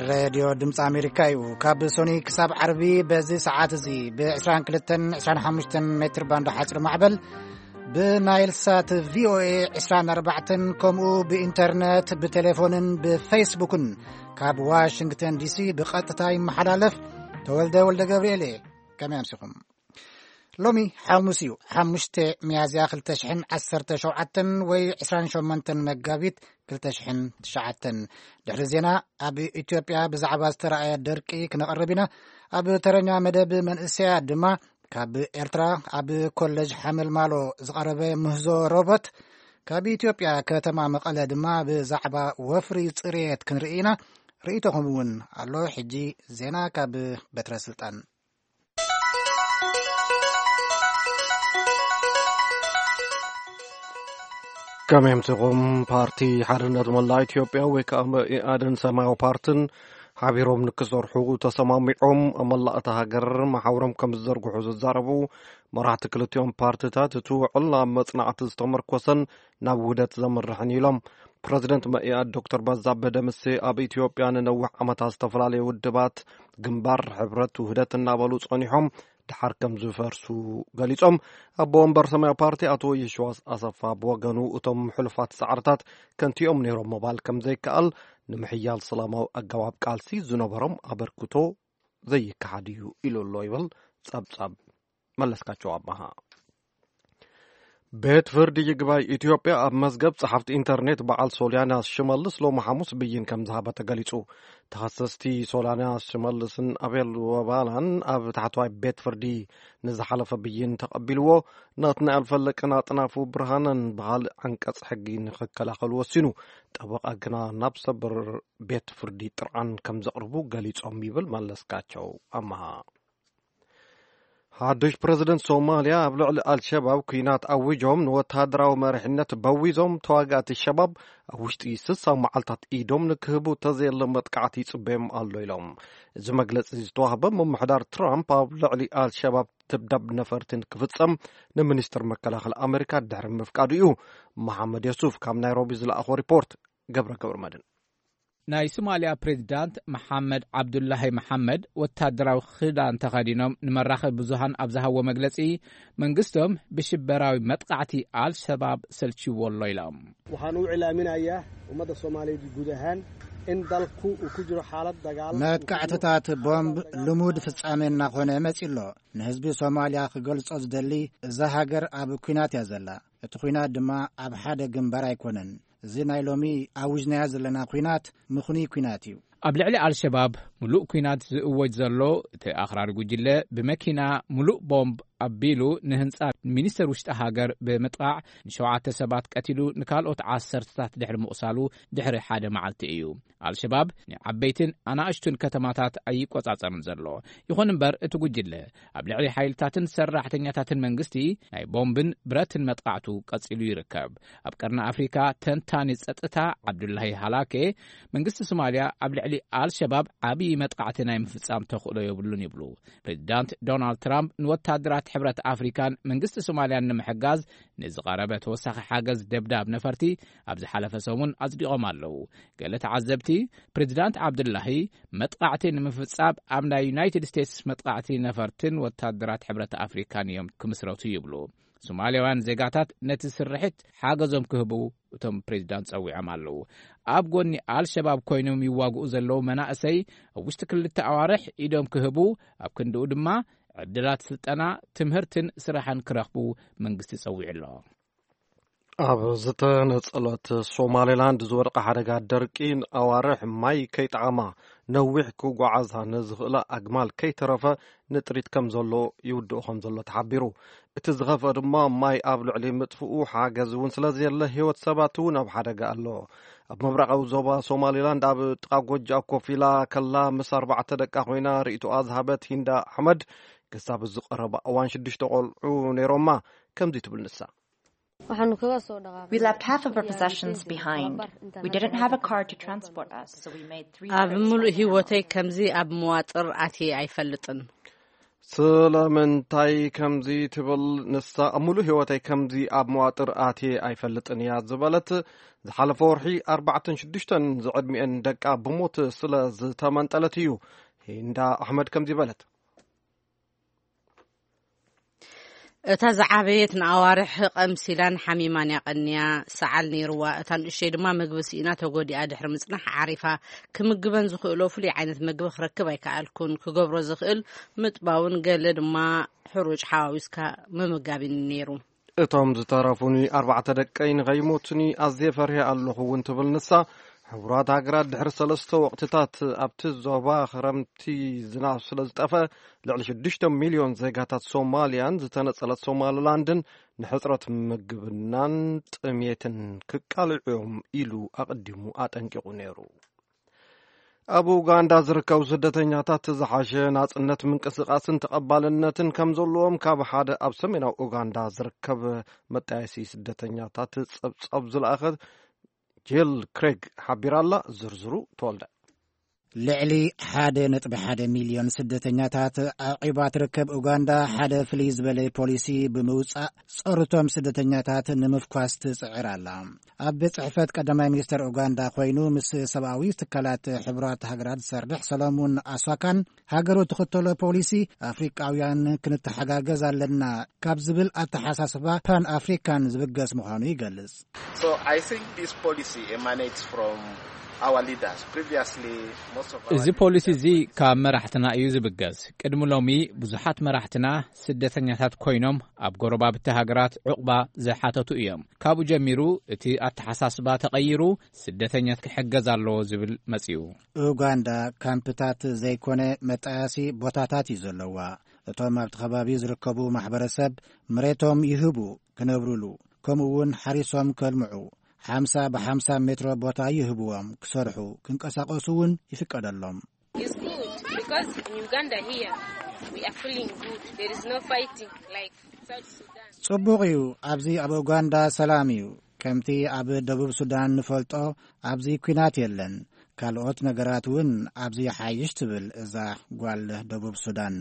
ሬድዮ ድምፂ ኣሜሪካ እዩ። ካብ ሶኒ ክሳብ ዓርቢ በዚ ሰዓት እዚ ብ22 25 ሜትር ባንድ ሓፂር ማዕበል፣ ብናይል ሳት ቪኦኤ 24፣ ከምኡ ብኢንተርነት፣ ብቴሌፎንን ብፌስቡክን ካብ ዋሽንግተን ዲሲ ብቐጥታ ይመሓላለፍ። ተወልደ ወልደ ገብርኤል እየ። ከመይ ኣምሲኹም? ሎሚ ሓሙስ እዩ፣ ሓሙሽተ ሚያዝያ 2017 ወይ 28 መጋቢት 2009። ድሕሪ ዜና፣ ኣብ ኢትዮጵያ ብዛዕባ ዝተረኣየ ደርቂ ክነቕርብ ኢና። ኣብ ተረኛ መደብ መንእሰያት ድማ፣ ካብ ኤርትራ ኣብ ኮሌጅ ሓመልማሎ ዝቐረበ ምህዞ ሮቦት፣ ካብ ኢትዮጵያ ከተማ መቐለ ድማ ብዛዕባ ወፍሪ ጽሬት ክንርኢ ኢና። ርእይቶኹም እውን ኣሎ። ሕጂ ዜና ካብ በትረ ስልጣን። ከመይ ኣምሲኹም? ፓርቲ ሓርነት መላእ ኢትዮጵያ ወይ ከዓ መኢኣድን ሰማያዊ ፓርትን ሓቢሮም ንክሰርሑ ተሰማሚዖም ኣብ መላእ እታ ሃገር መሓውሮም ከም ዝዘርግሑ ዝዛረቡ መራሕቲ ክልቲኦም ፓርትታት፣ እቲ ውዕል ኣብ መጽናዕቲ ዝተመርኮሰን ናብ ውህደት ዘምርሕን ኢሎም። ፕረዚደንት መኢኣድ ዶክተር በዛብህ ደምሴ፣ ኣብ ኢትዮጵያ ንነዊሕ ዓመታት ዝተፈላለዩ ውድባት፣ ግንባር፣ ሕብረት፣ ውህደት እናበሉ ጸኒሖም ድሓር ከም ዝፈርሱ ገሊጾም። ኣቦ ወንበር ሰማያዊ ፓርቲ ኣቶ የሽዋስ ኣሰፋ ብወገኑ፣ እቶም ሕሉፋት ጻዕርታት ከንቲኦም ነይሮም ምባል ከም ዘይከኣል፣ ንምሕያል ሰላማዊ ኣገባብ ቃልሲ ዝነበሮም ኣበርክቶ ዘይከሓድ እዩ ኢሉ ኣሎ ይብል ጸብጻብ መለስካቸው ኣባሃ። ቤት ፍርዲ ይግባይ ኢትዮጵያ ኣብ መዝገብ ጸሓፍቲ ኢንተርኔት በዓል ሶልያና ሽመልስ ሎሚ ሓሙስ ብይን ከም ዝሃበ ተገሊጹ። ተኸሰስቲ ሶልያና ሽመልስን ኣቤል ወባላን ኣብ ታሕተዋይ ቤት ፍርዲ ንዝሓለፈ ብይን ተቐቢልዎ፣ ናትናኤል ፈለቅን ኣጥናፉ ብርሃነን ብኻልእ ዓንቀጽ ሕጊ ንኽከላኸሉ ወሲኑ። ጠበቓ ግና ናብ ሰበር ቤት ፍርዲ ጥርዓን ከም ዘቕርቡ ገሊጾም ይብል መለስካቸው ኣመሃ። ሓዱሽ ፕረዚደንት ሶማልያ ኣብ ልዕሊ ኣልሸባብ ኲናት ኣዊጆም ንወተሃደራዊ መሪሕነት በዊዞም፣ ተዋጋእቲ ሸባብ ኣብ ውሽጢ ስሳ መዓልታት ኢዶም ንክህቡ፣ ተዘየለ መጥቃዕቲ ይጽበዮም ኣሎ ኢሎም። እዚ መግለጺ ዝተዋህበ ምምሕዳር ትራምፕ ኣብ ልዕሊ ኣልሸባብ ትብዳብ ነፈርትን ክፍጸም ንሚኒስትር መከላኸሊ ኣሜሪካ ድሕሪ ምፍቃዱ እዩ። መሓመድ የሱፍ ካብ ናይሮቢ ዝለኣኾ ሪፖርት። ገብረ ገብረ መድን። ናይ ሶማልያ ፕሬዚዳንት መሓመድ ዓብዱላሂ መሓመድ ወታደራዊ ክዳን ተኸዲኖም ንመራኸቢ ብዙሃን ኣብ ዝሃዎ መግለጺ፣ መንግስቶም ብሽበራዊ መጥቃዕቲ ኣልሸባብ ሰልችዎ ኣሎ ኢሎም። Waxaan u cilaaminayaa ummadda Soomaaliyeed guud ahaan in dalku uu ku jiro xaalad dagaal. መጥቃዕትታት ቦምብ ልሙድ ፍጻሜ እናኾነ መጺ ኣሎ። ንህዝቢ ሶማልያ ክገልጾ ዝደሊ፣ እዛ ሃገር ኣብ ኲናት እያ ዘላ። እቲ ኲናት ድማ ኣብ ሓደ ግንባር ኣይኮነን። እዚ ናይ ሎሚ ኣውጅናዮ ዘለና ኲናት ምኽኑይ ኲናት እዩ። ኣብ ልዕሊ ኣልሸባብ ምሉእ ኲናት ዝእወጅ ዘሎ፣ እቲ ኣኽራሪ ጉጅለ ብመኪና ምሉእ ቦምብ ኣቢሉ ንህንጻ ሚኒስተር ውሽጢ ሃገር ብምጥቓዕ፣ ንሸውዓተ ሰባት ቀቲሉ፣ ንካልኦት ዓሰርተታት ድሕሪ ምቑሳሉ ድሕሪ ሓደ መዓልቲ እዩ። ኣልሸባብ ንዓበይትን ኣናእሽቱን ከተማታት ኣይቆጻጸርን ዘሎ። ይኹን እምበር፣ እቲ ጉጅለ ኣብ ልዕሊ ሓይልታትን ሰራሕተኛታትን መንግስቲ ናይ ቦምብን ብረትን መጥቃዕቱ ቀጺሉ ይርከብ። ኣብ ቀርኒ ኣፍሪካ ተንታኒ ጸጥታ ዓብዱላሂ ሃላኬ፣ መንግስቲ ሶማልያ ኣብ ልዕሊ ኣልሸባብ ዓብዪ መጥቃዕቲ ናይ ምፍጻም ተኽእሎ የብሉን ይብሉ። ፕሬዚዳንት ዶናልድ ትራምፕ ንወታደራት ሕብረት ኣፍሪካን መንግስቲ ሶማልያን ንምሕጋዝ ንዝቐረበ ተወሳኺ ሓገዝ ደብዳብ ነፈርቲ ኣብ ዝሓለፈ ሰሙን ኣጽዲቖም ኣለዉ። ገለ ተዓዘብቲ፣ ፕሬዚዳንት ዓብዱላሂ መጥቃዕቲ ንምፍጻም ኣብ ናይ ዩናይትድ ስቴትስ መጥቃዕቲ ነፈርትን ወታደራት ሕብረት ኣፍሪካን እዮም ክምስረቱ ይብሉ። ሶማልያውያን ዜጋታት ነቲ ስርሒት ሓገዞም ክህቡ እቶም ፕሬዚዳንት ጸዊዖም ኣለዉ። ኣብ ጎኒ ኣልሸባብ ኮይኖም ይዋግኡ ዘለዉ መናእሰይ ኣብ ውሽጢ ክልተ ኣዋርሕ ኢዶም ክህቡ፣ ኣብ ክንድኡ ድማ ዕድላት ስልጠና፣ ትምህርትን ስራሕን ክረኽቡ መንግስቲ ጸዊዑ ኣሎ። ኣብ ዝተነጸለት ሶማሌላንድ ዝወደቐ ሓደጋ ደርቂ ንኣዋርሕ ማይ ከይጠዓማ፣ ነዊሕ ክጓዓዛ ንዝኽእላ ኣግማል ከይተረፈ ንጥሪት ከም ዘሎ ይውድኦ ከም ዘሎ ተሓቢሩ። እቲ ዝኸፍአ ድማ ማይ ኣብ ልዕሊ ምጥፍኡ፣ ሓገዝ እውን ስለ ዘየለ ህይወት ሰባት እውን ኣብ ሓደጋ ኣሎ። ኣብ ምብራቓዊ ዞባ ሶማሌላንድ ኣብ ጥቓ ጎጆኣ ኮፍ ኢላ ከላ ምስ ኣርባዕተ ደቃ ኮይና ርእይቶኣ ዝሃበት ሂንዳ ኣሕመድ፣ ክሳብ ዝቐረባ እዋን ሽዱሽተ ቆልዑ ነይሮማ። ከምዚ ትብል ንሳ። Waxaanu kaga soo We left half of our possessions behind. We didn't have a car to transport us, so we made three ኣብ trips ሙሉእ by ህይወተይ camel. ከምዚ ኣብ መዋጥር ኣትየ ኣይፈልጥን። ስለምንታይ ከምዚ ትብል? ንሳ ኣብ ሙሉእ ህይወተይ ከምዚ ኣብ መዋጥር ኣትየ ኣይፈልጥን እያ ዝበለት። ዝሓለፈ ወርሒ ኣርባዕተን ሽዱሽተን ዝዕድሚኤን ደቃ ብሞት ስለ ዝተመንጠለት እዩ። ሂንዳ ኣሕመድ ከምዚ በለት። እታ ዝዓበየት ንኣዋርሕ ቀምሲላን ሓሚማን እያ ቀንያ። ሰዓል ነይርዋ። እታ ንእሽተይ ድማ ምግቢ ስኢና ተጎዲኣ ድሕሪ ምጽናሕ ዓሪፋ። ክምግበን ዝኽእሎ ፍሉይ ዓይነት ምግቢ ክረክብ ኣይከኣልኩን። ክገብሮ ዝኽእል ምጥባውን ገለ ድማ ሕሩጭ ሓዋዊስካ ምምጋብን ነይሩ። እቶም ዝተረፉኒ ኣርባዕተ ደቀይ ንኸይሞቱኒ ኣዝየ ፈሪሀ ኣለኹ እውን ትብል ንሳ። ሕቡራት ሃገራት ድሕሪ ሰለስተ ወቕትታት ኣብቲ ዞባ ክረምቲ ዝናብ ስለ ዝጠፍአ፣ ልዕሊ ሽዱሽተ ሚልዮን ዜጋታት ሶማልያን ዝተነጸለት ሶማሊላንድን ንሕጽረት ምግብናን ጥሜትን ክቃልዑ እዮም ኢሉ ኣቐዲሙ ኣጠንቂቑ ነይሩ። ኣብ ኡጋንዳ ዝርከቡ ስደተኛታት ዝሓሸ ናጽነት ምንቅስቓስን ተቐባልነትን ከም ዘለዎም ካብ ሓደ ኣብ ሰሜናዊ ኡጋንዳ ዝርከብ መጣየሲ ስደተኛታት ጸብጻብ ዝለኣኸ ጄል ክሬግ ሓቢራ ኣላ። ዝርዝሩ ተወልደ። ልዕሊ ሓደ ነጥቢ ሓደ ሚልዮን ስደተኛታት ኣዕቂባ ትርከብ ኡጋንዳ ሓደ ፍልይ ዝበለ ፖሊሲ ብምውጻእ ጸርቶም ስደተኛታት ንምፍኳስ ትጽዕር ኣላ። ኣብ ቤት ጽሕፈት ቀዳማይ ሚኒስተር ኡጋንዳ ኮይኑ ምስ ሰብኣዊ ትካላት ሕቡራት ሃገራት ዝሰርሕ ሰሎሙን ኣስዋካን ሃገሩ ትኽተሎ ፖሊሲ ኣፍሪቃውያን ክንተሓጋገዝ ኣለና ካብ ዝብል ኣተሓሳስባ ፓን ኣፍሪካን ዝብገስ ምዃኑ ይገልጽ። So I think this policy emanates from our leaders. Previously, most of our እዚ ፖሊሲ እዚ ካብ መራሕትና እዩ ዝብገስ። ቅድሚ ሎሚ ብዙሓት መራሕትና ስደተኛታት ኮይኖም ኣብ ጎረባብቲ ሃገራት ዕቑባ ዝሓተቱ እዮም። ካብኡ ጀሚሩ እቲ ኣተሓሳስባ ተቐይሩ ስደተኛት ክሕገዝ ኣለዎ ዝብል መጺኡ። ኡጋንዳ ካምፕታት ዘይኮነ መጣያሲ ቦታታት እዩ ዘለዋ። እቶም ኣብቲ ከባቢ ዝርከቡ ማሕበረሰብ መሬቶም ይህቡ ክነብሩሉ፣ ከምኡ እውን ሓሪሶም ከልምዑ፣ ሓምሳ ብሓምሳ ሜትሮ ቦታ ይህብዎም ክሰርሑ፣ ክንቀሳቐሱ እውን ይፍቀደሎም። It's good because in Uganda here we are feeling good. There is no fighting like South Sudan. ጽቡቕ እዩ። ኣብዚ ኣብ ኡጋንዳ ሰላም እዩ። ከምቲ ኣብ ደቡብ ሱዳን ንፈልጦ ኣብዚ ኲናት የለን። ካልኦት ነገራት እውን ኣብዚ ይሓይሽ ትብል እዛ ጓል ደቡብ ሱዳን።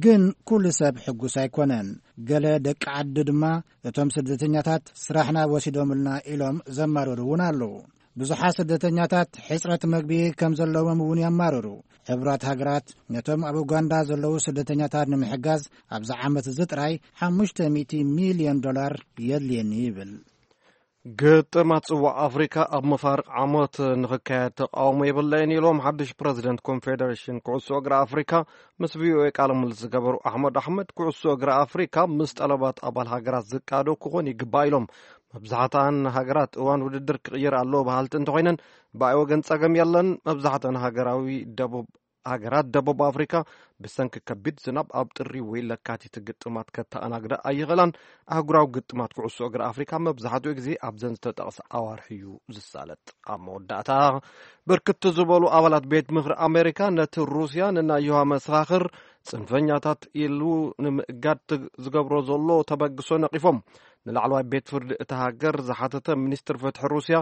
ግን ኩሉ ሰብ ሕጉስ ኣይኮነን። ገለ ደቂ ዓዲ ድማ እቶም ስደተኛታት ስራሕና ወሲዶምልና ኢሎም ዘማረሩ እውን ኣለዉ። ብዙሓት ስደተኛታት ሕጽረት መግቢ ከም ዘለዎም እውን የማርሩ። ሕቡራት ሃገራት ነቶም ኣብ ኡጋንዳ ዘለዉ ስደተኛታት ንምሕጋዝ ኣብዚ ዓመት እዚ ጥራይ ሓሙሽተ ሚእቲ ሚልዮን ዶላር የድልየኒ ይብል። ግጥማት ጽዋዕ ኣፍሪካ ኣብ መፋርቕ ዓመት ንኽካየድ ተቃውሞ የብለይን ኢሎም ሓድሽ ፕረዚደንት ኮንፌደሬሽን ኩዕሶ እግሪ ኣፍሪካ ምስ ቪኦኤ ቃለ ምልልስ ዝገበሩ ኣሕመድ ኣሕመድ፣ ኩዕሶ እግሪ ኣፍሪካ ምስ ጠለባት ኣባል ሃገራት ዝቃዶ ክኾን ይግባእ ኢሎም። መብዛሕትኣን ሃገራት እዋን ውድድር ክቕይር ኣለዎ በሃልቲ እንተኾይነን፣ ብኣይ ወገን ጸገም የለን። መብዛሕትአን ሃገራዊ ደቡብ ሃገራት ደቡብ ኣፍሪካ ብሰንኪ ከቢድ ዝናብ ኣብ ጥሪ ወይ ለካቲት ግጥማት ከተኣናግዳ ኣይኽእላን። ኣህጉራዊ ግጥማት ኩዕሶ እግሪ ኣፍሪካ መብዛሕትኡ ግዜ ኣብዘን ዝተጠቕሰ ኣዋርሒ እዩ ዝሳለጥ። ኣብ መወዳእታ፣ ብርክት ዝበሉ ኣባላት ቤት ምኽሪ ኣሜሪካ ነቲ ሩስያ ንናይ ዮሃ መሰኻኽር ጽንፈኛታት ኢሉ ንምእጋድ ዝገብሮ ዘሎ ተበግሶ ነቒፎም። ንላዕለዋይ ቤት ፍርዲ እታ ሃገር ዝሓተተ ሚኒስትር ፍትሒ ሩስያ፣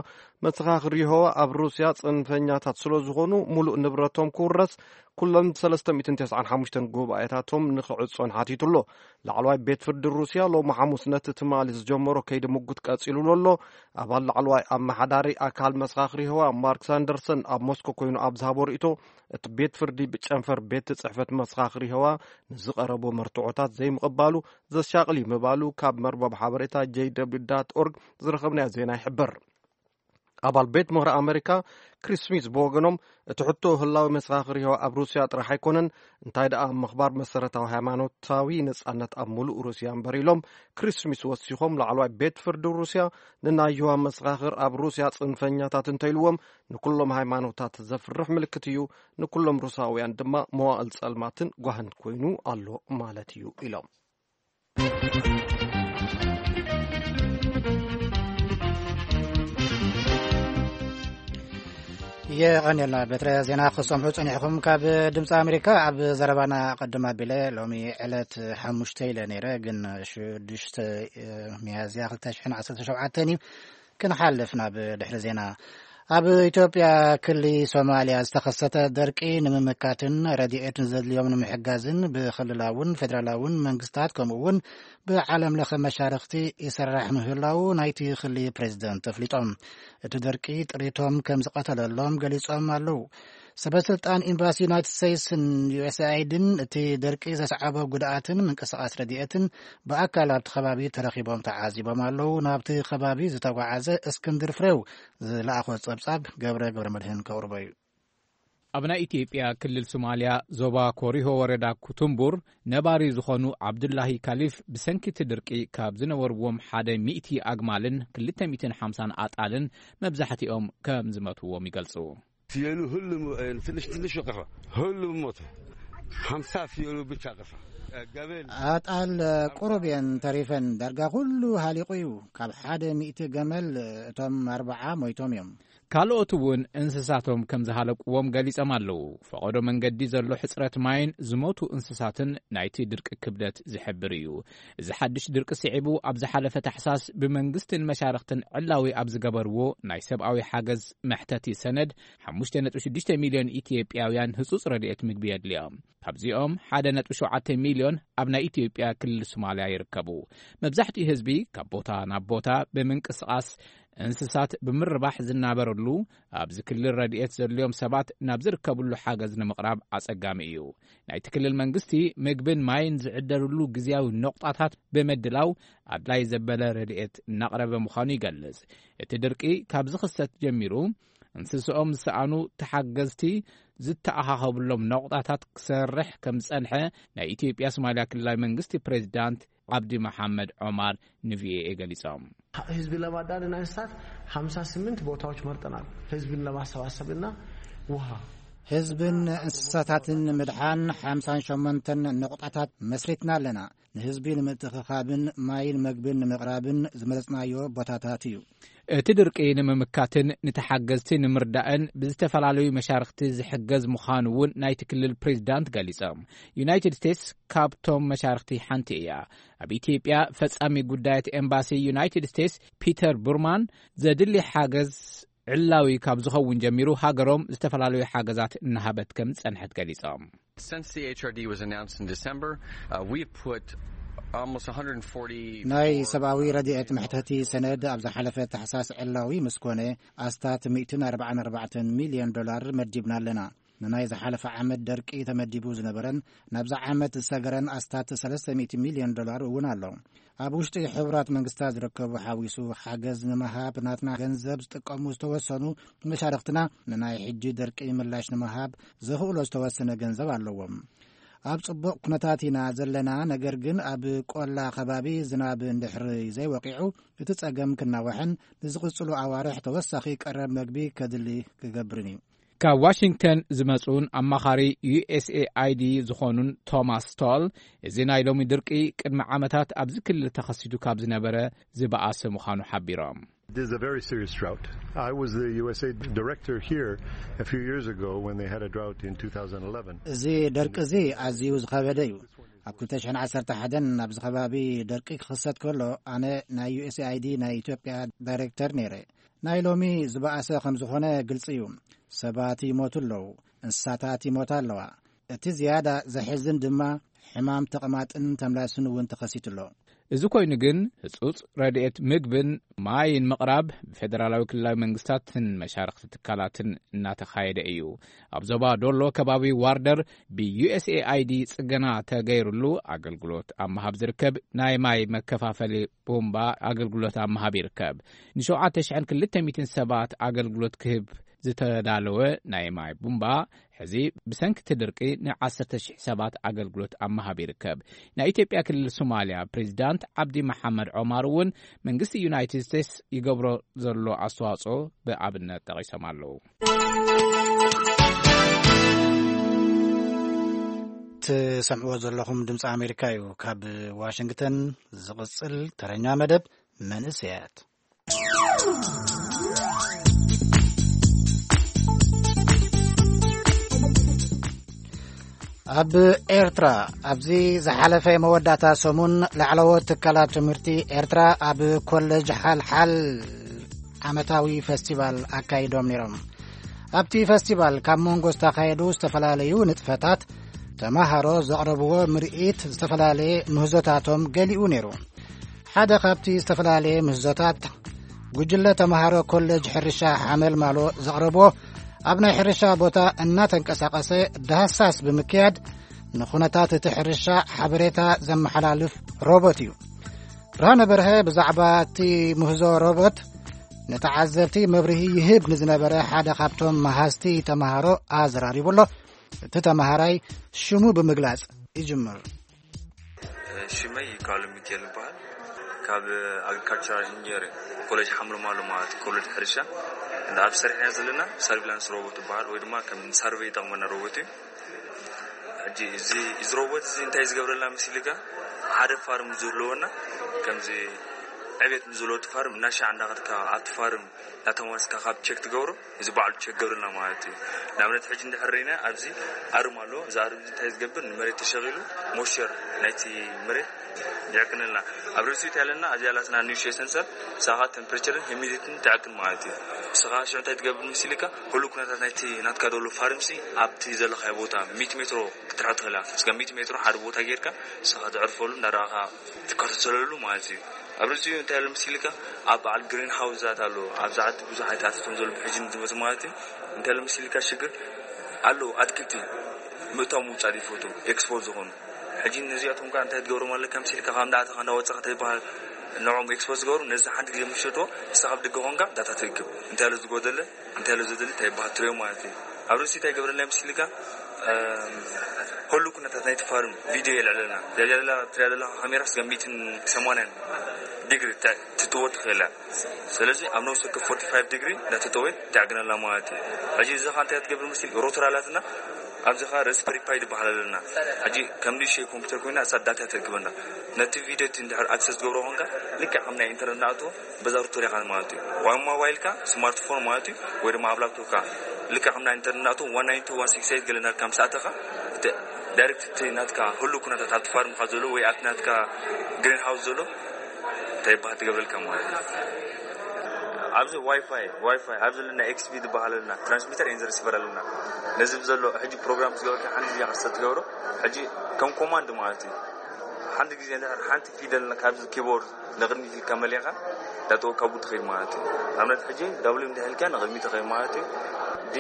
መሰኻኽር የሆዋ ኣብ ሩስያ ጽንፈኛታት ስለ ዝኾኑ፣ ሙሉእ ንብረቶም ክውረስ፣ ኩለን ሰለስተ ሚእትን ተስዓን ሓሙሽተን ጉባኤታቶም ንኽዕጾን ሓቲቱ ኣሎ። ላዕለዋይ ቤት ፍርዲ ሩስያ ሎሚ ሓሙስ ነቲ ትማሊ ዝጀመሮ ከይዲ ምጉት ቀጺሉሉ ኣሎ። ኣባል ላዕለዋይ ኣመሓዳሪ ኣካል መሰኻኽር የሆዋ ማርክ ሳንደርሰን ኣብ ሞስኮ ኮይኑ ኣብ ዝሃቦ ርእይቶ፣ እቲ ቤት ፍርዲ ብጨንፈር ቤት ጽሕፈት መሰኻኽር የሆዋ ንዝቐረቦ መርትዖታት ዘይምቕባሉ ዘሻቕል እዩ ምባሉ ካብ መርበብ ሓበሬታ j w dot org ዝረኸብናዮ ዜና ይሕብር። ኣባል ቤት ምኽሪ ኣሜሪካ ክሪስ ስሚዝ ብወገኖም፣ እቲ ሕቶ ህላዊ መሰኻኽር የሆዋ ኣብ ሩስያ ጥራሕ ኣይኮነን፣ እንታይ ደኣ ምኽባር መሰረታዊ ሃይማኖታዊ ነጻነት ኣብ ሙሉእ ሩስያ እምበር ኢሎም። ክሪስ ስሚዝ ወሲኾም፣ ላዕለዋይ ቤት ፍርዲ ሩስያ ንናይ የሆዋ መሰኻኽር ኣብ ሩስያ ጽንፈኛታት እንተኢልዎም፣ ንኩሎም ሃይማኖታት ዘፍርሕ ምልክት እዩ፣ ንኩሎም ሩሳውያን ድማ መዋእል ጸልማትን ጓህን ኮይኑ ኣሎ ማለት እዩ ኢሎም። የቐንየልና በትረ ዜና ክሰምዑ ጸኒሕኹም ካብ ድምፂ ኣሜሪካ። ኣብ ዘረባና ቅድም ኣቢለ ሎሚ ዕለት ሓሙሽተ ኢለ ነይረ፣ ግን ሽዱሽተ ሚያዝያ ክልተ ሽሕን ዓሰርተ ሸውዓተን እዩ። ክንሓልፍ ናብ ድሕሪ ዜና። ኣብ ኢትዮጵያ ክሊ ሶማልያ ዝተኸሰተ ደርቂ ንምምካትን ረድኤት ንዘድልዮም ንምሕጋዝን ብክልላውን ፌደራላውን መንግስታት ከምኡ እውን ብዓለም ለኸ መሻርኽቲ ይሰራሕ ምህላው ናይቲ ክሊ ፕሬዚደንት ኣፍሊጦም። እቲ ደርቂ ጥሪቶም ከም ዝቐተለሎም ገሊጾም ኣለዉ። ሰበስልጣን ኤምባሲ ዩናይትድ ስቴትስን ዩ ኤስ ኤ ኣይድን እቲ ደርቂ ዘስዓቦ ጉድኣትን ምንቅስቓስ ረድኤትን ብኣካል ኣብቲ ከባቢ ተረኺቦም ተዓዚቦም ኣለዉ። ናብቲ ከባቢ ዝተጓዓዘ እስክንድር ፍሬው ዝለኣኾ ጸብጻብ ገብረ ገብረ መድህን ከቕርቦ እዩ። ኣብ ናይ ኢትዮጵያ ክልል ሶማልያ ዞባ ኮሪሆ ወረዳ ኩቱምቡር ነባሪ ዝኾኑ ዓብዱላሂ ካሊፍ ብሰንኪ እቲ ድርቂ ካብ ዝነበርዎም ሓደ ሚእቲ ኣግማልን ክልተ ሚእትን ሓምሳን ኣጣልን መብዛሕትኦም ከም ዝመትዎም ይገልጹ። ፍየሉ ሁሉም፣ እ፣ ትንሽ ትንሽ ቀፋ። ሁሉም ሞተ። ሓምሳ ፍየሉ ብቻ ቀፋ። እ፣ ገበል ኣጣል፣ እ፣ ቁሩብ እየን ተሪፈን። ዳርጋ ኩሉ ሃሊቑ እዩ። ካብ ሓደ ሚእቲ ገመል፣ እ፣ እቶም ኣርብዓ ሞይቶም እዮም። ካልኦት እውን እንስሳቶም ከም ዝሃለቅዎም ገሊጾም ኣለዉ። ፈቐዶ መንገዲ ዘሎ ሕጽረት ማይን ዝሞቱ እንስሳትን ናይቲ ድርቂ ክብደት ዝሕብር እዩ። እዚ ሓድሽ ድርቂ ስዒቡ ኣብ ዝሓለፈ ታሕሳስ ብመንግስትን መሻርኽትን ዕላዊ ኣብ ዝገበርዎ ናይ ሰብኣዊ ሓገዝ መሕተቲ ሰነድ ሓሙሽተ ነጥቢ ሽዱሽተ ሚልዮን ኢትዮጵያውያን ህጹጽ ረድኤት ምግቢ የድልዮም። ካብዚኦም ሓደ ነጥቢ ሸውዓተ ሚልዮን ኣብ ናይ ኢትዮጵያ ክልል ሶማልያ ይርከቡ። መብዛሕትኡ ህዝቢ ካብ ቦታ ናብ ቦታ ብምንቅስቓስ እንስሳት ብምርባሕ ዝናበረሉ ኣብዚ ክልል ረድኤት ዘድልዮም ሰባት ናብ ዝርከብሉ ሓገዝ ንምቕራብ ኣጸጋሚ እዩ። ናይቲ ክልል መንግስቲ ምግብን ማይን ዝዕደልሉ ግዝያዊ ነቑጣታት ብምድላው ኣድላይ ዘበለ ረድኤት እናቕረበ ምዃኑ ይገልጽ። እቲ ድርቂ ካብ ዝኽሰት ጀሚሩ እንስስኦም ዝሰኣኑ ተሓገዝቲ ዝተኣኻኸብሎም ነቑጣታት ክሰርሕ ከም ዝጸንሐ ናይ ኢትዮጵያ ሶማልያ ክልላዊ መንግስቲ ፕሬዚዳንት ዓብዲ መሓመድ ዖማር ንቪኦኤ ገሊጾም። ህዝብ ለማዳን እንስሳት ሓምሳ ስምንት ቦታዎች መርጠናል። ህዝብን ለማሰባሰብና ውሃ ህዝብን እንስሳታትን ንምድሓን ሓምሳን ሸሞንተን ነቑጣታት መስሪትና ኣለና። ንህዝቢ ንምትእኽኻብን ማይን መግብን ንምቕራብን ዝመረጽናዮ ቦታታት እዩ። እቲ ድርቂ ንምምካትን ንተሓገዝቲ ንምርዳእን ብዝተፈላለዩ መሻርኽቲ ዝሕገዝ ምዃኑ እውን ናይቲ ክልል ፕሬዚዳንት ገሊጾም። ዩናይትድ ስቴትስ ካብቶም መሻርኽቲ ሓንቲ እያ። ኣብ ኢትዮጵያ ፈጻሚ ጉዳያት ኤምባሲ ዩናይትድ ስቴትስ ፒተር ቡርማን ዘድሊ ሓገዝ ዕላዊ ካብ ዝኸውን ጀሚሩ ሃገሮም ዝተፈላለዩ ሓገዛት እናሃበት ከም ዝጸንሐት ገሊጾም። Since the H R D was announced in December, uh, we've put almost one hundred forty ናይ ሰብኣዊ ረድኤት መሕተቲ ሰነድ ኣብ ዝሓለፈ ታሕሳስ ዕላዊ ምስ ኮነ ኣስታት ሚእትን ኣርባዓን ኣርባዕተን ሚልዮን ዶላር መዲብና ኣለና። ንናይ ዝሓለፈ ዓመት ደርቂ ተመዲቡ ዝነበረን ናብዚ ዓመት ዝሰገረን ኣስታት ሰለስተ ሚእቲ ሚልዮን ዶላር እውን ኣሎ። ኣብ ውሽጢ ሕቡራት መንግስታት ዝርከቡ ሓዊሱ ሓገዝ ንምሃብ ናትና ገንዘብ ዝጥቀሙ ዝተወሰኑ መሻርኽትና ንናይ ሕጂ ደርቂ ምላሽ ንምሃብ ዘኽእሎ ዝተወሰነ ገንዘብ ኣለዎም። ኣብ ጽቡቕ ኩነታት ኢና ዘለና፣ ነገር ግን ኣብ ቆላ ከባቢ ዝናብ እንድሕሪ ዘይወቂዑ እቲ ጸገም ክናዋሕን ንዝቕጽሉ ኣዋርሕ ተወሳኺ ቀረብ መግቢ ከድሊ ክገብርን እዩ። ካብ ዋሽንግተን ዝመጹን ኣማኻሪ ዩ ኤስ ኤ ኣይ ዲ ዝኾኑን ቶማስ ስቶል፣ እዚ ናይ ሎሚ ድርቂ ቅድሚ ዓመታት ኣብዚ ክልል ተኸሲቱ ካብ ዝነበረ ዝበኣሰ ምዃኑ ሓቢሮም። This is a very serious drought. I was the U S A director here a few years ago when they had a drought in two thousand eleven. እዚ ደርቂ እዚ ኣዝዩ ዝኸበደ እዩ። ኣብ ክልተ ሽሕን ዓሰርተ ሓደን ኣብዚ ከባቢ ደርቂ ክኽሰት ከሎ ኣነ ናይ ዩ ኤስ ኤ ኣይ ዲ ናይ ኢትዮጵያ ዳይሬክተር ነይረ። ናይ ሎሚ ዝበኣሰ ከም ዝኾነ ግልጺ እዩ። ሰባት ይሞቱ ኣለዉ፣ እንስሳታት ይሞታ ኣለዋ። እቲ ዝያዳ ዘሕዝን ድማ ሕማም ተቕማጥን ተምላስን እውን ተኸሲቱ ኣሎ። እዚ ኮይኑ ግን ህጹጽ ረድኤት ምግብን ማይን ምቕራብ ብፌደራላዊ ክልላዊ መንግስታትን መሻርኽቲ ትካላትን እናተኻየደ እዩ። ኣብ ዞባ ዶሎ ከባቢ ዋርደር ብ ዩ ኤስ ኤ ኣይ ዲ ጽገና ተገይሩሉ ኣገልግሎት ኣብ ምሃብ ዝርከብ ናይ ማይ መከፋፈሊ ቡምባ ኣገልግሎት ኣብ ምሃብ ይርከብ። ንሸውዓተ ሽሕን ክልተ ሚእትን ሰባት ኣገልግሎት ክህብ ዝተዳለወ ናይ ማይ ቡምባ ሕዚ ብሰንኪ እቲ ድርቂ ንዓሰርተ ሽሕ ሰባት ኣገልግሎት ኣብ ምሃብ ይርከብ። ናይ ኢትዮጵያ ክልል ሶማልያ ፕሬዚዳንት ዓብዲ መሓመድ ዖማር እውን መንግስቲ ዩናይትድ ስቴትስ ይገብሮ ዘሎ ኣስተዋጽኦ ብኣብነት ጠቒሶም ኣለዉ። ትሰምዕዎ ዘለኹም ድምፂ ኣሜሪካ እዩ። ካብ ዋሽንግተን ዝቕጽል ተረኛ መደብ መንእሰያት። ኣብ ኤርትራ ኣብዚ ዝሓለፈ መወዳእታ ሰሙን ላዕለዎት ትካላት ትምህርቲ ኤርትራ ኣብ ኮሌጅ ሓልሓል ዓመታዊ ፈስቲቫል ኣካይዶም ነይሮም። ኣብቲ ፈስቲቫል ካብ መንጎ ዝተኻየዱ ዝተፈላለዩ ንጥፈታት፣ ተማሃሮ ዘቕረብዎ ምርኢት ዝተፈላለየ ምህዞታቶም ገሊኡ ነይሩ። ሓደ ካብቲ ዝተፈላለየ ምህዞታት፣ ጉጅለ ተማሃሮ ኮሌጅ ሕርሻ ሓመልማሎ ዘቕረብዎ፣ ኣብ ናይ ሕርሻ ቦታ እናተንቀሳቐሰ ዳህሳስ ብምክያድ ንኹነታት እቲ ሕርሻ ሓበሬታ ዘመሓላልፍ ሮቦት እዩ። ብርሃነ በርሀ ብዛዕባ እቲ ምህዞ ሮቦት ንተዓዘብቲ መብርሂ ይህብ ንዝነበረ ሓደ ካብቶም መሃዝቲ ተማሃሮ ኣዘራሪቡ ኣሎ። እቲ ተማሃራይ ሽሙ ብምግላጽ ይጅምር። ሽመይ ይካሉ ሚካኤል ይበሃል። ካብ ኣግሪካልቸራል ኢንጂነሪንግ ኮሌጅ ሓምርማሎ ማለት እዩ፣ ኮሌጅ ሕርሻ። እንዳ ኣብ ሰሪሕና ዘለና ሰርቪላንስ ሮቦት ይበሃል፣ ወይ ድማ ከም ሳርቬይ ይጠቕመና ሮቦት እዩ። ሕጂ እዚ፣ እዚ ሮቦት እዚ እንታይ ዝገብረልና መሲልካ፣ ሓደ ፋርም ዝህልወና፣ ከምዚ ዕቤት ንዝህልወ እቲ ፋርም እናሻዕ እንዳኸድካ ኣብቲ ፋርም እናተመለስካ ካብ ቸክ ትገብሮ፣ እዚ ባዕሉ ቸክ ገብርልና ማለት እዩ። ንኣብነት ሕጂ እንድሕር ርኢና ኣብዚ ኣርም ኣሎ። እዚ ኣርም እዚ እንታይ ዝገብር፣ ንመሬት ተሸቒሉ ሞይስቸር ናይቲ መሬት ይዕቅንልና። ኣብ ርእሲኡ እንታይ ኣለና፣ ኣብዚኣ ኣላትና ንእሽተይ ሰንሰር፣ ንሳኻ ቴምፕሬቸርን ሂሚዲቲን ትዕቅን ማለት እዩ። ንስኻ ሽዑ እንታይ ትገብር መሲልካ፣ ኩሉ ኩነታት ናይቲ ናትካ ደሎ ፋርምሲ ኣብቲ ዘለኻዮ ቦታ ሚእቲ ሜትሮ ክትርሕቕ ትኽእል ኢኻ። እስከ ሚእቲ ሜትሮ ሓደ ቦታ ጌርካ ንስኻ ተዕርፈሉ እንዳረኣኻ ትከታተለሉ ማለት እዩ። ኣብ ርእሲኡ እንታይ ኣሎ መሲልካ፣ ኣብ በዓል ግሪን ሃውስታት ኣሎ፣ ኣብዚ ዓዲ ብዙሕ ዓይነት ኣትክልቲ ከም ዘሎ ሕጂ ንዝመፁ ማለት እዩ። እንታይ ኣሎ መሲልካ ሽግር ኣለዉ፣ ኣትክልቲ ምእታው ምውፃእ ዘይፈቱ፣ ኤክስፖዝ ዝኾኑ። ሕጂ ነዚኣቶም ከኣ እንታይ ትገብሮም ኣለካ መሲልካ፣ ካብ እንዳኣተኻ እንዳወፃኻ እንታይ ይበሃል፣ ንዕኦም ኤክስፖዝ ዝገብሩ፣ ነዚ ሓንቲ ግዜ ምስ ሸጥዎ ንስኻ ኣብ ደገ ኮንካ ዳታ ትእክብ። እንታይ ኣሎ ዝጎደለ፣ እንታይ ኣሎ ዘድሊ እንታይ ይበሃል ትርእዮ ማለት እዩ። ኣብ ርእሲ እንታይ ይገብረልና መሲልካ፣ እም፣ ኩሉ ኩነታት ናይቲ ፋርም ቪድዮ የልዕለልና። እዚኣ ዘላ ትሪኣ ዘለኻ ካሜራ ስጋ ሚእትን ሰማንያን ዲግሪ ተ-፣ ትጥወ ትኽእል እያ። ስለዚ ኣብ ነብሲ ወከፍ ፎርቲ ፋይቭ ዲግሪ እንዳተጠወየ ትዕግነላ ማለት እዩ። ሕጂ እዚ ኸኣ እንታይ ትገብር መሲል፣ ሮተር ኣላትና፣ ኣብዚ ኸኣ ረስፐሪ ፓይ ዝበሃል ኣለና። ሕጂ ከም ንእሽተይ ኮምፒውተር ኮይና እሳ ዳታ ተእክበና። ነቲ ቪድዮ እቲ እንድሕር ኣክሰስ ትገብሮ ኾንካ፣ ልክዕ ከም ናይ ኢንተርነት ንኣትዎ በዛ ሩተር ኢኻ ማለት እዩ። ወይ ኣብ ሞባይልካ፣ ስማርትፎን ማለት እዩ፣ ወይ ድማ ኣብ ላፕቶፕካ። ልክዕ ከም ናይ ኢንተርነት ንኣትዎ ዋን ናይን ቱ ዋን ሲክስ ኤይት ገለ እናልካ ምስ ኣተኻ፣ እቲ ዳይሬክት እቲ ናትካ ህሉ ኩነታት ኣብቲ ፋርምካ ዘሎ ወይ ኣብቲ ናትካ ግሪን ሃውስ ዘሎ እንታይ ይበሃል ትገብረልካ ማለት እዩ። ኣብዚ ዋይፋይ፣ ዋይፋይ ኣብዚ ለና ኤክስቢ ዝበሃል ኣለና፣ ትራንስሚተር ኤንድ ሪሲቨር ኣለና። ነዚ ብዘሎ ሕጂ ፕሮግራም ዝገበርካ ሓንቲ ግዜ ክሰት ትገብሮ፣ ሕጂ ከም ኮማንድ ማለት እዩ። ሓንቲ ግዜ እንድሕር ሓንቲ ፊደል ካብዚ ኪቦርድ ንቕድሚት ኢልካ መሊኻ፣ ዳተወ ካብኡ ትኸይድ ማለት እዩ። ኣብነት ሕጂ ዳብሊው እንድሕር ኢልካ ንቕድሚት ትኸይድ ማለት እዩ። ዲ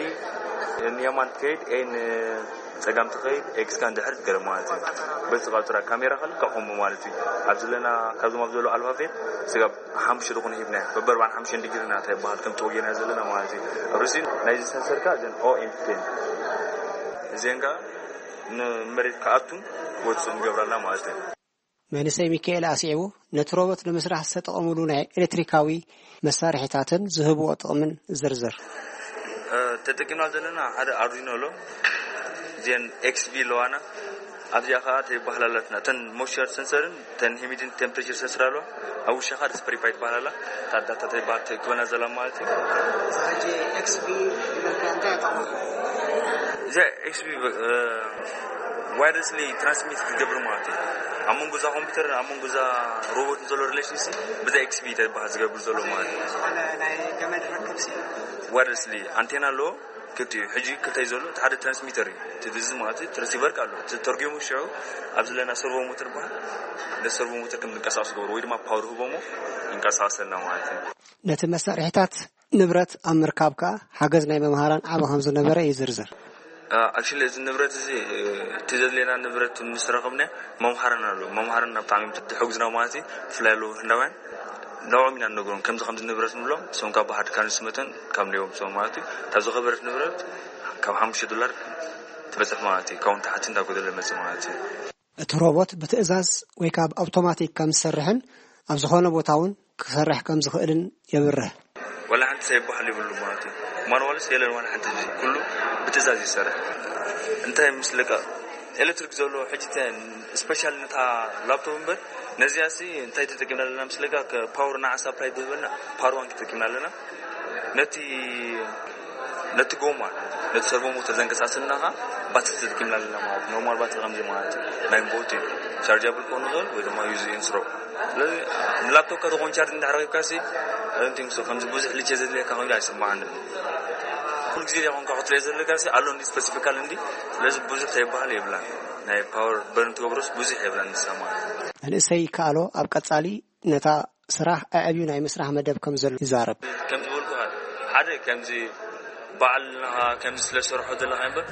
ንየማን ትኸይድ፣ ኤ ንጸጋም ትኸይድ፣ ኤክስ ከኣ እንድሕር ትገርም ማለት እዩ። በዚ ቃልቱራ ካሜራ ከልካ ከምኡ ማለት እዩ። ኣብዚ ለና ካብዞም ኣብ ዘሎ ኣልፋቤት ስጋብ ሓሙሽተ ዝኾነ ሂብና፣ በበርባዕን ሓሙሽተን ዲግሪ ናታ ይበሃል፣ ከምቲ ወጌና ዘለና ማለት እዩ። ኣብ ርእሲ ናይዚ ሰንሰር ከኣ እዘን ኦ ኤን ቴን እዚአን ከኣ ንመሬት ክኣቱን ክወጽኡን ይገብራልና ማለት እዩ። መንእሰይ ሚካኤል ኣስዒቡ፣ ነቲ ሮቦት ንምስራሕ ዝተጠቐምሉ ናይ ኤሌክትሪካዊ መሳርሒታትን ዝህብዎ ጥቕምን ዝርዝር። እ፣ ተጠቂምና ዘለና ሓደ ኣርዲኖ ኣሎ። እዚአን ኤክስቢ ኣለዋና። ኣብዚኣ ኸዓ ተይበሃላላትና። እተን ሞይስቸር ሰንሰርን እተን ሂሚዲን ቴምፕሬቸር ሰንሰር ኣለዋ። ኣብ ውሽጢ ኸዓ ሪስፐሪ ፓይ ትበሃል ኣላ። እታ ዳታ ተይበሃል ትእክበና ዘላ ማለት እዩ። ሕጂ ኤክስቢ ዝበልካ እንታይ እያ ጥቕማ? እዚኣ ኤክስቢ፣ እ፣ ዋይርለስሊ ትራንስሚት ክትገብር ማለት እዩ። ኣብ መንጎ እዛ ኮምፒውተር፣ ኣብ መንጎ እዛ ሮቦት ዘሎ ሪሌሽንሲ ብዛ ኤክስቢ ተይበሃል ዝገብር ዘሎ ማለት እዩ። ዝኾነ ናይ ገመድ ርክብ ሲ? ዋይርለስሊ ኣንቴና ኣለዎ። ክልቲኡ እዩ። ሕጂ ክልተ እዩ ዘሎ። እቲ ሓደ ትራንስሚተር እዩ። እቲ ድዚ ማለት እዩ። እቲ ሪሲቨር ኣሎ። እቲ ተርጉሙ ሽዑ ኣብ ዘለና ሰርቮ ሞተር በሃል። ነቲ ሰርቮ ሞተር ከም ዝንቀሳቐስ ገብሮ ወይ ድማ ፓወር ህቦሞ ይንቀሳቐሰልና ማለት እዩ። ነቲ መሳርሒታት ንብረት ኣብ ምርካብ ከኣ ሓገዝ ናይ መምሃራን ዓቢ ከም ዝነበረ እዩ ዝርዝር። እ፣ ኣክቹሊ እዚ ንብረት እዚ፣ እ፣ እቲ ዘድልየና ንብረት ምስ ረኸብና መምሃራን ኣሎ። መምሃራን ብጣዕሚ እዮም ዝሕግዙና ማለት እዩ። ብፍላይ ኣለዉ ህንዳውያን። ንዕኦም ኢና ንነግሮም፣ ከምዚ ከምዚ ንብረት ንብሎም፣ እሶም ካብ ባሕሪ ካንስ መተን ካብ ነዮም እሶም ማለት እዩ። እታ ዝኸበረት ንብረት ካብ ሓሙሽተ ዶላር ትበጽሕ ማለት እዩ። ካብኡ ንታሕቲ እንዳጎደለ መጽእ ማለት እዩ። እቲ ሮቦት ብትእዛዝ ወይ ካብ ኣውቶማቲክ ከም ዝሰርሕን ኣብ ዝኾነ ቦታ እውን ክሰርሕ ከም ዝኽእልን የብርህ። ዋላ ሓንቲ ሳይበሃል ይብሉ ማለት እዩ። ማንዋልስ የለን ዋላ ሓንቲ፣ እዚ ኩሉ ብትእዛዝ ይሰርሕ። እንታይ ምስልካ ኤሌክትሪክ ዘሎ ሕጂ ተ-፣ ስፔሻል ነታ ላፕቶፕ እምበር፣ ነዚኣ ሲ እንታይ ተጠቂምና ኣለና ምስልካ፣ ከ-፣ ፓወር ንዓ ሳፕላይ ዝህበና ፓወር ባንክ ተጠቂምና ኣለና። ነቲ፣ ነቲ ጎማ፣ ነቲ ሰርቮ ሞተር ዘንቀሳስልና ኸዓ ባትሪ ተጠቂምና ኣለና ማለት፣ ኖርማል ባትሪ ከምዚ ማለት እዩ። ናይ ቦት እዩ። ቻርጃብል ክኸውን ይኽእል ወይ ድማ ዩዝ ኤንድ ስሮ። ስለዚ ላፕቶፕካ ዝኾን ቻርጅ እንድሕር ረኺብካሲ፣ እንቲምሶ ከምዚ ብዙሕ ልጀ ዘድልየካ ኮይኑ ኣይስምዓንን። ኩሉ ግዜ ዲኻ ኮንካ ክትሪኦ ዘለካሲ ኣሎ እንዲ ስፐሲፊካል እንዲ። ስለዚ ብዙሕ ተይበሃል የብላን። ናይ ፓወር በርን ትገብሮስ ብዙሕ የብላን ንሳ ማለት። መንእሰይ ይከኣሎ ኣብ ቀጻሊ ነታ ስራሕ ኣዕብዩ ናይ ምስራሕ መደብ ከም ዘሎ ይዛረብ። ከም ዝበልኩኻ ሓደ ከምዚ በዓል ንኻ ከምዚ ስለ ዝሰርሖ ዘለኻ እምበር፣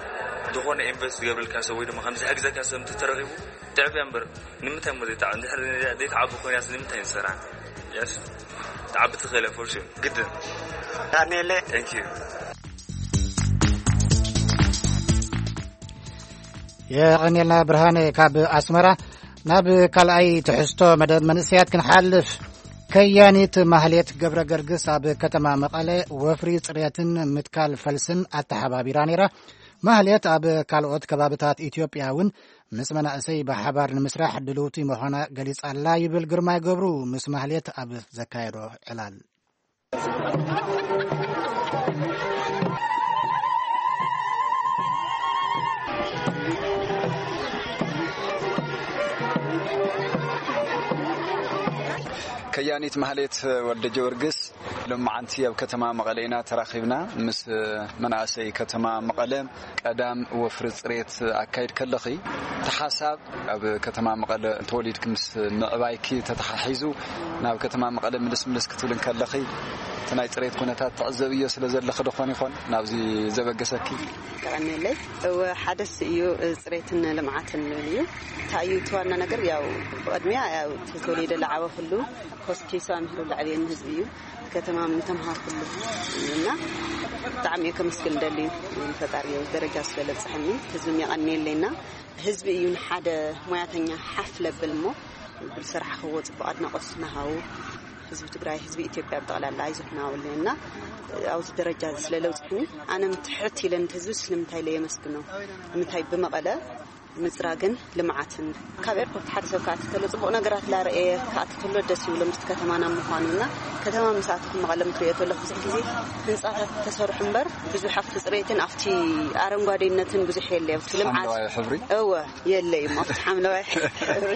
ዝኾነ ኢንቨስት ዝገብረልካ ሰብ ወይ ድማ ከምዚ ዝሕግዘካ ሰብ እንተተረኺቡ ትዕብያ እምበር፣ ንምንታይ እሞ ዘይትዓ-፣ እንድሕር ዘይትዓቢ ኮይናስ ንምንታይ ንሰራ? የስ፣ ትዓቢ ትኽእል እያ፣ ፎር ሹር። ግድን። ዳንኤለ። Thank you። የቐንየልና ብርሃነ ካብ ኣስመራ። ናብ ካልኣይ ትሕዝቶ መደብ መንእሰያት ክንሓልፍ። ከያኒት ማህሌት ገብረ ገርግስ ኣብ ከተማ መቐለ ወፍሪ ጽሬትን ምትካል ፈልስን ኣተሓባቢራ ነይራ። ማህሌት ኣብ ካልኦት ከባብታት ኢትዮጵያ እውን ምስ መናእሰይ ብሓባር ንምስራሕ ድልውቲ ምዃና ገሊጻ ኣላ ይብል ግርማይ ገብሩ ምስ ማህሌት ኣብ ዘካየዶ ዕላል። ከያኒት ማህሌት ወልደ ጊዮርጊስ ሎማዓንቲ ኣብ ከተማ መቐለ ኢና ተራኺብና። ምስ መናእሰይ ከተማ መቐለ ቀዳም ወፍሪ ጽሬት ኣካይድ ከለኺ፣ እቲ ሓሳብ ኣብ ከተማ መቐለ ተወሊድኪ ምስ ምዕባይኪ ተተሓሒዙ ናብ ከተማ መቐለ ምልስ ምልስ ክትብል እንከለኺ፣ እቲ ናይ ጽሬት ኩነታት ትዕዘብዮ ስለ ዘለኺ ዶ ኾን ይኾን ናብዚ ዘበገሰኪ? ቀቐነለይ። እወ፣ ሓደስ እዩ፣ ጽሬትን ልምዓትን ዝብል እዩ። እንታይ እዩ እቲ ዋና ነገር? ያው ብቕድሚያ ያው ተወሊደ ዝዓበኹሉ፣ ኮስኪሱ ኣምሂሩ ዝዓበየኒ ህዝቢ እዩ። ከተማ ምተምሃርኩሉ እና ብጣዕሚ እየ ከመስግን ደሊ ንፈጣሪ ደረጃ ስለ ለብፅሐኒ፣ ህዝብም የቐንየለይና። ህዝቢ እዩ ንሓደ ሞያተኛ ሓፍ ለብል እሞ ብዝሰራሕኽዎ ፅቡቕ ኣድናቖት ናሃው ህዝቢ ትግራይ፣ ህዝቢ ኢትዮጵያ ብጠቕላላ ኣይዞትናውልን እና ኣብዚ ደረጃ እዚ ስለ ለውፅሕኒ ኣነ ምትሕት ኢለ ነቲ ህዝቢ ስለምንታይ ኢለ የመስግኖ? ንምንታይ ብመቐለ ምፅራግን ልምዓትን ካብ ኤርፖርት ሓደ ሰብ ክኣቲ ተሎ ፅቡቕ ነገራት ላረኤ ክኣቲ ተሎ ደስ ይብሎ ምስቲ ከተማና ምዃኑ እና ከተማ ምስ ኣተኹ መቐለ ምትሪኦ ተሎ ብዙሕ ግዜ ህንፃታት ተሰርሑ እምበር ብዙሕ ኣብቲ ፅሬትን ኣብቲ ኣረንጓዴነትን ብዙሕ የለ ኣብቲ ልምዓት ሓምለዋይ ሕብሪ? እወ የለ እዩ ኣብቲ ሓምለዋይ ሕብሪ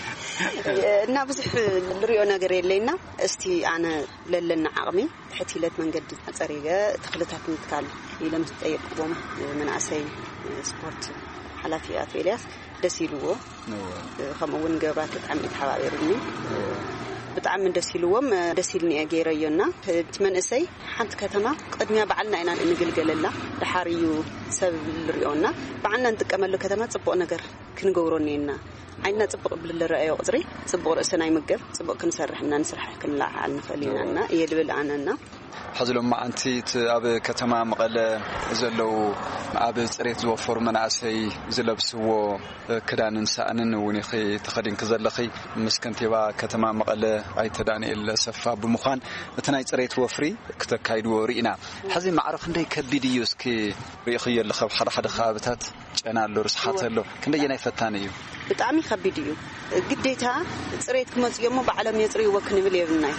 እና ብዙሕ ንሪኦ ነገር የለይና እስቲ ኣነ ለለና ዓቕሚ ትሕት ኢለት መንገዲ ኣፀሪገ ተኽልታት ምትካል ኢለ ምስ ጠየቅዎም መናእሰይ ስፖርት ሓላፊ ኣቶ ኤልያስ ደስ ኢልዎ። እወ። ከምኡ እውን ገብራት ብጣዕሚ እዩ ተሓባቢሩኒ። እወ። ብጣዕሚ ደስ ኢልዎም፣ ደስ ኢልኒ እየ ገይረዮ እና እቲ መንእሰይ ሓንቲ ከተማ ቅድሚያ ባዕልና ኢና እንግልገለላ፣ ደሓር እዩ ሰብ ዝሪኦ እና ባዕልና እንጥቀመሉ ከተማ ፅቡቕ ነገር ክንገብሮ እኒአና። ዓይንና ፅቡቕ ብዝረኣዮ ቁፅሪ ፅቡቕ ርእስና ይምገብ፣ ፅቡቕ ክንሰርሕ እና ንስራሕ ክንለዓዓል ንኽእል ኢና እና እየ ድብል ኣነ እና ሕዚ ሎማዓንቲ እቲ ኣብ ከተማ መቐለ ዘለዉ ኣብ ፅሬት ዝወፈሩ መናእሰይ ዝለብስዎ ክዳንን ሳእንን እውን ኢኺ ተኸዲንኪ ዘለኺ። ምስ ከንቲባ ከተማ መቐለ ኣይተ ዳንኤል ሰፋ ብምዃን እቲ ናይ ፅሬት ወፍሪ ክተካይድዎ ርኢና። ሕዚ ማዕረ ክንደይ ከቢድ እዩ እስኪ ርኢኽዮ ኣለኺ ኣብ ሓደ ሓደ ከባብታት? ጨና ኣሎ፣ ርስሓት ኣሎ። ክንደየናይ ፈታኒ እዩ? ብጣዕሚ ከቢድ እዩ። ግዴታ ፅሬት ክመፅኡ እሞ ባዕሎም የፅርይዎ ክንብል የብልናይ።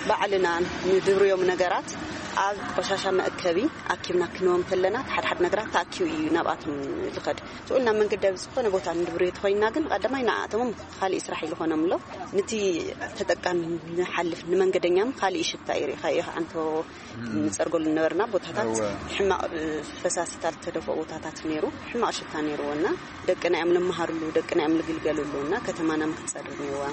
ባዕልና ንድብርዮም ነገራት ኣብ ቆሻሻ መእከቢ ኣኪብና ክንዎም ከለና፣ ሓደ ሓደ ነገራት ተኣኪቡ እዩ ናብኣቶም ዝኸድ። ስኡል ናብ መንገዲ ኣብ ዝኾነ ቦታ ንድብርዮ ተኾይንና ግን፣ ቀዳማይ ንኣቶምም ካሊእ ስራሕ ይልኾኖም ኣሎ። ነቲ ተጠቃሚ ንሓልፍ ንመንገደኛም ካሊእ ሽታ ይርኢኻ እዩ። ኣንቶ ንጸርገሉ ዝነበርና ቦታታት እወ። ሕማቕ ፈሳሲታት ዝተደፍኦ ቦታታት ነይሩ፣ ሕማቕ ሽታ ነይርዎ እና ደቅና እዮም ንመሃርሉ፣ ደቅና እዮም ንግልገልሉ እና ከተማና ምክትጸርግ ነይርዋ።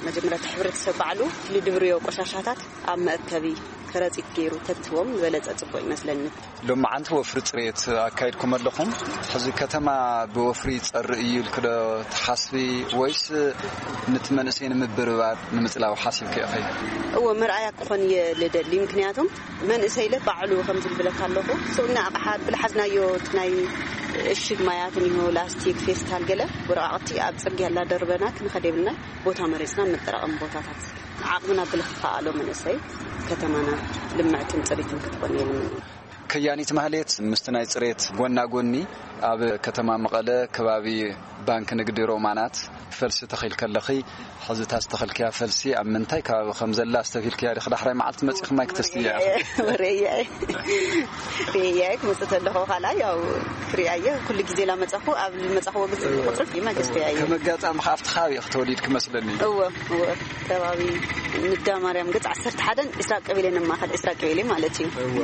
መጀመርያ እቲ ሕብረተሰብ ባዕሉ ንድብርዮ ቆሻሻታት ኣብ መእከቢ ከረጺት ገይሩ ተትዎም ዝበለጸ ጽቡቕ ይመስለኒ። ሎማዓንቲ ወፍሪ ጽሬት ኣካይድኩም ኣለኹም። ሕዚ ከተማ ብወፍሪ ይጸሪ እዩ ኢልክ ዶ ትሓስቢ ወይስ ነቲ መንእሰይ ንምብርባር ንምጽላው ሓሲብክ ኢኺ? እወ፣ መርኣያ ክኾን እየ ልደሊ። ምክንያቱም መንእሰይ ኢለ ባዕሉ ከም ዝብለካ ኣለኹ። ስኡልና ኣቕሓ ብልሓዝናዮ እቲ ናይ እሽግ ማያት እኒሆ፣ ላስቲክ፣ ፌስታል፣ ገለ ወረቃቕቲ ኣብ ጽርግያ ላደርበና ክንኸድ የብልና። ቦታ መሪጽና መጠራቐሚ ቦታታት ዓቕምና ብልኽኣሎ መንእሰይ ከተማና ልምዕትን ጽሪትን ክትኮን የብልና። ከያኒት ማህሌት፣ ምስቲ ናይ ጽሬት ጎና ጎኒ ኣብ ከተማ መቐለ ከባቢ ባንክ ንግዲ ሮማናት ፈልሲ ተኺልኪ ኣለኺ። ሕዚ እታ ዝተኸልክያ ፈልሲ ኣብ ምንታይ ከባቢ ከም ዘላ ኣስተብሂልክያ ዲኺ? ዳሕራይ መዓልቲ መጺኺ ማይ ክተስትያ ኢኺ? ወረያ ወረያ ክመጽእ ተለኹ፣ ካልኣይ ያው ክሪኣየ ኩሉ ግዜ ላመጻኹ ኣብ መጻኹዎ ግዜ ቁጽሪ ፊልማ ገዝተያየ። ከም ኣጋጣሚ ከኣ ኣብቲ ከባቢ ኢኺ ተወሊድኪ መስለኒ። እወ እወ ከባቢ ንዳ ማርያም ገጽ ዓሰርተ ሓደን ዕስራ ቀበሌ ነማኸል ዕስራ ቀበሌ ማለት እዩ። እወ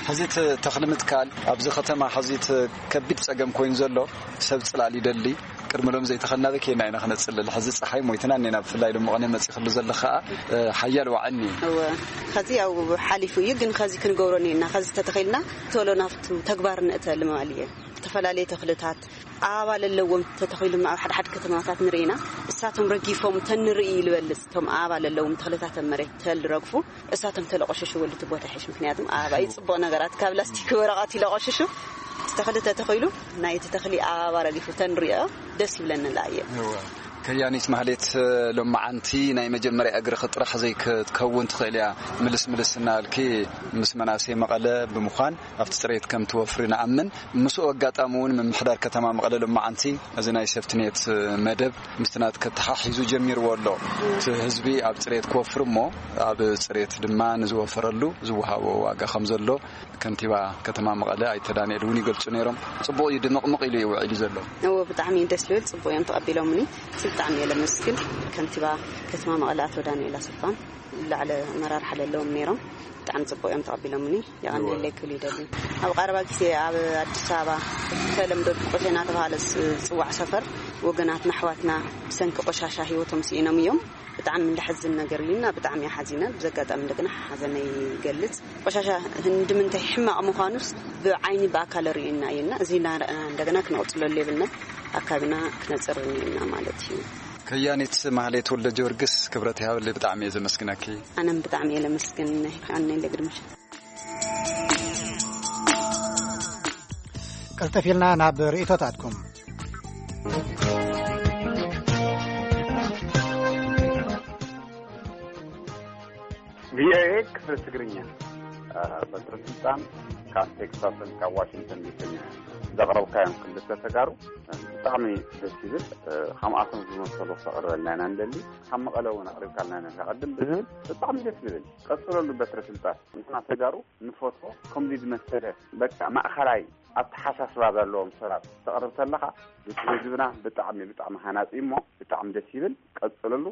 ሕዚ እቲ ተኽሊ ምትካል ኣብዚ ከተማ ሕዚ እቲ ከቢድ ጸገም ኮይኑ ዘሎ ሰብ ጽላል ይደሊ። ቅድሚ ሎም ዘይተኸናበ ኬና ኢና ክነጽልል። ሕዚ ጸሓይ ሞይትና እኔና፣ ብፍላይ ሎም መቐነ መጺኽሉ ዘሎ ከኣ ሓያል ዋዕኒ። እወ ኸዚ ያው ሓሊፉ እዩ፣ ግን ኸዚ ክንገብሮ እኔና። ኸዚ ተተኺልና ቶሎ ናብቱ ተግባር ንእተልም ማለት እየ። ዝተፈላለየ ተኽልታት ኣበባ ለለዎም ተተኺሉ ኣብ ሓደ ሓደ ከተማታት ንርኢና። እሳቶም ረጊፎም ተንርኢ ይልበልጽ። እቶም ኣበባ ለለዎም ተኽልታት ኣብ መሬት ተልረግፉ እሳቶም ተለቆሸሽዎ ልቲ ቦታ ይሕሽ። ምክንያቱም ኣበባ እዩ ጽቡቕ ነገራት ካብ ላስቲክ ወረቐት ይለቆሽሹ። ዝተኽሊ ተተኺሉ ናይቲ ተኽሊ ኣበባ ረጊፉ ተንሪኦ ደስ ይብለኒ ላየ። እወ። ከያኒት ማህሌት፣ ሎማዓንቲ ናይ መጀመርያ እግርኺ ጥራሕ ዘይክትከውን ትኽእል እያ። ምልስ ምልስ እናበልኪ ምስ መናእሰይ መቐለ ብምዃን ኣብቲ ጽሬት ከም ትወፍሪ ንኣምን። ምስኡ ኣጋጣሚ እውን ምምሕዳር ከተማ መቐለ ሎማዓንቲ እዚ ናይ ሴፍትኔት መደብ ምስቲ ናትኪ ተሓሒዙ ጀሚርዎ ኣሎ። እቲ ህዝቢ ኣብ ጽሬት ክወፍር እሞ ኣብ ጽሬት ድማ ንዝወፈረሉ ዝወሃቦ ዋጋ ከም ዘሎ ከንቲባ ከተማ መቐለ ኣይተ ዳንኤል እውን ይገልጹ ነይሮም። ጽቡቕ እዩ፣ ድምቕምቕ ኢሉ እዩ ውዒሉ ዘሎ። እዎ ብጣዕሚ እዩ ደስ ዝብል፣ ጽቡቕ እዮም ተቐቢሎምኒ። ብጣዕሚ እየ ለመስግን ከንቲባ ከተማ መቐለ ኣቶ ዳንኤል ኣሰፋን ላዕለ ኣመራርሓ ለለዎም ነይሮም። ብጣዕሚ ጽቡቕ እዮም ተቐቢሎምኒ። የቐንየለይ ክብል ይደሊ። ኣብ ቀረባ ግዜ ኣብ ኣዲስ ኣበባ ብተለምዶ ድቆቴ እናተባሃለ ዝጽዋዕ ሰፈር ወገናትና ኣሕዋትና ብሰንኪ ቆሻሻ ህይወቶም ስኢኖም እዮም። ብጣዕሚ እንደሐዝን ነገር እዩና ብጣዕሚ ሓዚነ። ብዘጋጣሚ እንደገና ሓዘነይ ይገልጽ። ቆሻሻ ህንዲ ምንታይ ሕማቕ ምዃኑስ ብዓይኒ ብኣካል ርእዩና እዩና፣ እዚ እናረኣና እንደገና ክነቕጽለሉ የብልና። ኣካብና ክነጽር እኒና ማለት እዩ። ከያኒት ማህሌት ወልደ ጊዮርጊስ፣ ክብረት ይሃበለይ፣ ብጣዕሚ እየ ዘመስግነኪ። ኣነም ብጣዕሚ እየ ለመስግን። ኣነ ለግድምሽ። ቀልጠፍ ኢልና ናብ ርእቶታትኩም። ቪኦኤ ክፍሊ ትግርኛ። በትረ ስልጣን ካብ ቴክሳስን ካብ ዋሽንግተን ዲሲን ዘቕረብካዮም ክልተ ተጋሩ ብጣዕሚ ደስ ይብል። ከምኣቶም ዝመሰሉ ክተቕርበልና ኢና ንደሊ። ካብ መቐለ እውን ኣቕሪብካልና ነካ ቅድም ብዝብል ብጣዕሚ ደስ ዝብል። ቀፅለሉ በትረ ስልጣን። ንሕና ተጋሩ ንፈትዎ ከምዚ ዝመሰለ በቃ ማእኸላይ ኣተሓሳስባ ዘለዎም ሰባት ተቕርብ ተለኻ ንህዝብና ብጣዕሚ ብጣዕሚ ሃናፂ እሞ ብጣዕሚ ደስ ይብል። ቀፅለሉ።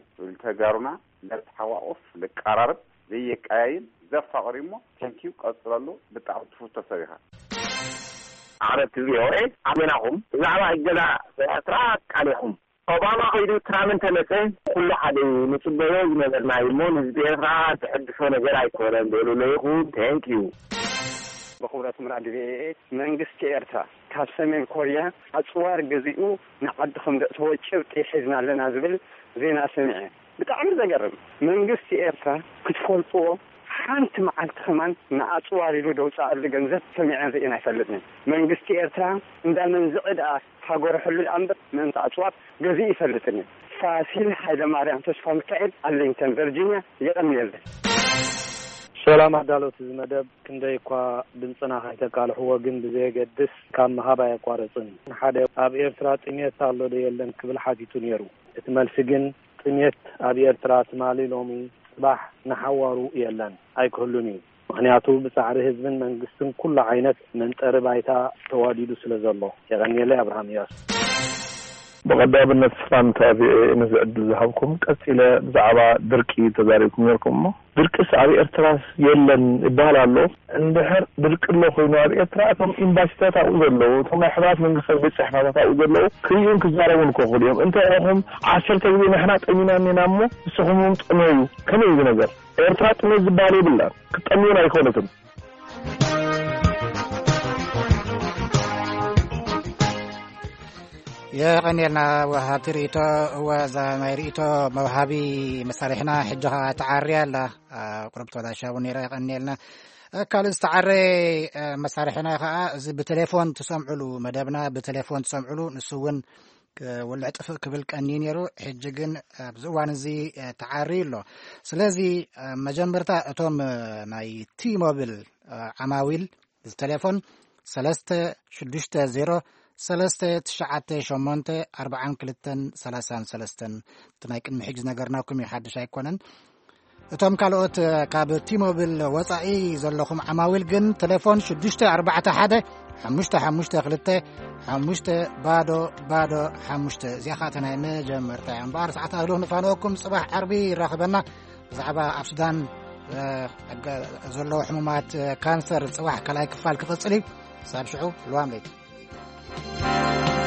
ተጋሩና ለተሓቋቁፍ ልቀራረብ ዘየቀያይም ዘፋቕር እዩ እሞ ቴንኪዩ ቀፅለሉ። ብጣዕሚ ትፍቶ ሰብ ኢኻ። ዓረብቲ ቪኦኤ ኣበናኹም ብዛዕባ እገዳ ኤርትራ ቃሊኹም ኦባማ ከይዱ ትራምፕ እንተመፀ ኩሉ ሓደ እዩ ንፅበዮ ዝነበርና እዩ እሞ ንህዝቢ ኤርትራ ዝሕድሶ ነገር ኣይኮነን በሉለይኹም። ቴንኪዩ። ብኽብረት ምራድ ቪኦኤ መንግስቲ ኤርትራ ካብ ሰሜን ኮርያ ኣፅዋር ገዚኡ ንዓዲ ከም ዘእተወ ጭብጢ ሒዝና ኣለና ዝብል ዜና ሰሚዐ። ብጣዕሚ ዘገርም። መንግስቲ ኤርትራ ክትፈልጥዎ ሓንቲ መዓልቲ ከማን ንኣፅዋር ኢሉ ደውፃኣሉ ገንዘብ ሰሚዐ ርእየን ኣይፈልጥን። መንግስቲ ኤርትራ እንዳ መንዝዒ ደኣ ሃገሩ ሕሉ ደኣ እምበር ምእንቲ ኣፅዋር ገዚኡ ይፈልጥን እዩ። ፋሲል ሃይለማርያም ተስፋ ሚካኤል ኣርሊንግተን ቨርጂንያ የቐንየለይ። ሰላም ኣዳለውቲ እዚ መደብ ክንደይ እኳ ድምፅና ከይተቃልሕዎ ግን ብዘየገድስ ካብ ምሃብ ኣየቋረፅን። ሓደ ኣብ ኤርትራ ጥሜት ኣሎ ዶ የለን ክብል ሓቲቱ ነይሩ። እቲ መልሲ ግን ጥሜት ኣብ ኤርትራ ትማሊ ሎሚ ጽባሕ ንሓዋሩ የለን ኣይክህሉን እዩ። ምኽንያቱ ብጻዕሪ ህዝብን መንግስትን ኩሉ ዓይነት መንጠሪ ባይታ ተዋዲዱ ስለ ዘሎ። የቐንየለይ ኣብርሃም እያሱ። ብቐዳምነት ሰላምታ ቪኦኤ ነዚ ዕድል ዝሃብኩም። ቀጺለ ብዛዕባ ድርቂ ተዛሪብኩም ነርኩም እሞ ድርቅስ ኣብ ኤርትራስ የለን ይበሃል ኣሎ። እንድሕር ድርቂ ኣሎ ኮይኑ ኣብ ኤርትራ እቶም ኤምባሲታት ኣብኡ ዘለዉ እቶም ናይ ሕቡራት መንግስታት ቤት ጽሕፈታት ኣብኡ ዘለዉ ክርእዩን ክዛረቡን ክኽእሉ እዮም። እንተ ኢኹም ዓሰርተ ግዜ ንሕና ጠሚና እኒና እሞ ንስኹም እውን ጥመዩ። ከመይ እዩ ነገር? ኤርትራ ጥሜት ዝበሃል የብላን። ክትጠምዩን ኣይኮነትን። የቐንየልና ወሃብቲ ርእቶ። እወ እዛ ናይ ርእቶ መውሃቢ መሳርሕና ሕጂ ኸዓ ተዓርያ ኣላ። ቁሩብ ተበላሻ እውን ነይራ። የቐንየልና። ካልእ ዝተዓረ መሳርሕና ኸዓ እዚ ብቴሌፎን ትሰምዕሉ መደብና ብቴሌፎን ትሰምዕሉ ንሱ እውን ውልዕ ጥፍእ ክብል ቀንዩ ነይሩ። ሕጂ ግን ኣብዚ እዋን እዚ ተዓርዩ ኣሎ። ስለዚ መጀመርታ እቶም ናይ ቲ ሞብል ዓማዊል ቴሌፎን ሰለስተ ሽዱሽተ ዜሮ ሰለስተ ትሽዓተ ሸሞንተ ኣርባዓን ክልተን ሰላሳን ሰለስተን። እቲ ናይ ቅድሚ ሕጂ ዝነገርናኩም እዩ፣ ሓድሽ ኣይኮነን። እቶም ካልኦት ካብ ቲሞቢል ወጻኢ ዘለኹም ዓማዊል ግን ቴሌፎን ሽዱሽተ ኣርባዕተ ሓደ ሓሙሽተ ሓሙሽተ ክልተ ሓሙሽተ ባዶ ባዶ ሓሙሽተ። እዚኣ ኸኣ እታ ናይ መጀመርታ እያ። እምበኣር ሰዓት ኣህሉ ንፋነወኩም፣ ጽባሕ ዓርቢ ይራኽበና። ብዛዕባ ኣብ ሱዳን፣ እ፣ ኣገ-፣ ዘለዉ ሕሙማት፣ እ፣ ካንሰር ጽባሕ ካልኣይ ክፋል ክቕጽል እዩ። ክሳብ ሽዑ ልዋም ለይቲ።